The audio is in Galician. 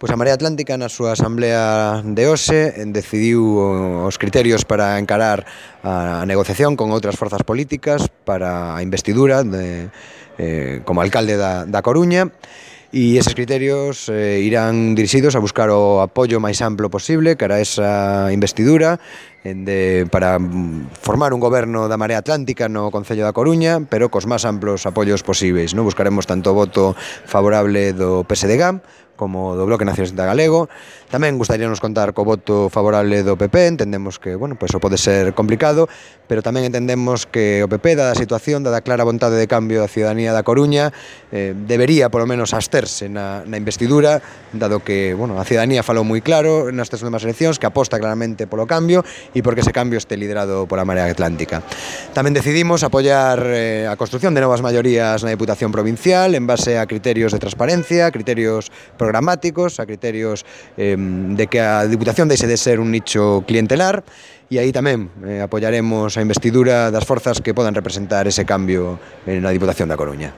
Pois a Marea Atlántica na súa asamblea de hoxe decidiu os criterios para encarar a negociación con outras forzas políticas para a investidura como alcalde da Coruña, e eses criterios irán dirixidos a buscar o apoio máis amplo posible cara a esa investidura para formar un goberno da Marea Atlántica no Concello da Coruña, pero cos máis amplos apoios posíveis, non? Buscaremos tanto o voto favorable do PSDG como do Bloque Nacionalista Galego. Tamén gustaríanos contar co voto favorable do PP. Entendemos que, o pode ser complicado, pero tamén entendemos que o PP, dada a situación, dada a clara vontade de cambio da ciudadanía da Coruña, debería, polo menos, absterse na investidura, dado que, a ciudadanía falou moi claro nestas últimas eleccións que aposta claramente polo cambio e porque ese cambio este liderado pola Marea Atlántica. Tamén decidimos apoiar a construción de novas maiorías na Deputación Provincial en base a criterios de transparencia, criterios programáticos, a criterios de que a Diputación deixe de ser un nicho clientelar, e aí tamén apoiaremos a investidura das forzas que podan representar ese cambio na Diputación da Coruña.